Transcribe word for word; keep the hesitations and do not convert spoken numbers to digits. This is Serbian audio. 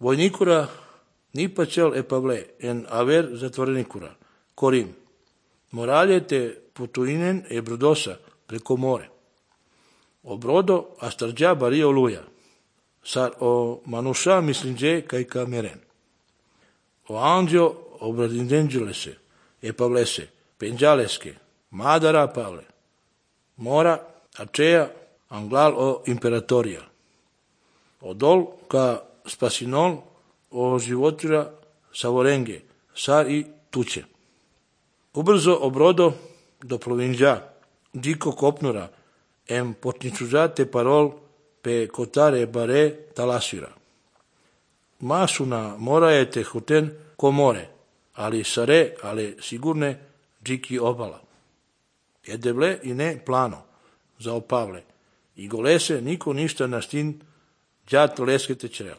Vojnikura ni pacel e pavle en aver zatvorenikura. Corim. Moraljete putuinen e brodosa preko more. O brodo astarđa bario luja. Sar o manuša mislinđe kaj kameren. O anđo obradindenđelese e pavlese, penđaleske, madara pavle. Mora, aceea, anglal o imperatorija. Odol ka spasinol o životira savorenge, sar i tuče. Ubrzo obrodo do plovinđa, diko kopnura, em potničužate parol pe kotare bare talasira. Masuna morajete huten ko more, ali sare, ale sigurne džiki obala. Jedevle i ne plano, za opavle, i golese niko ništa na stin džat leskete črel.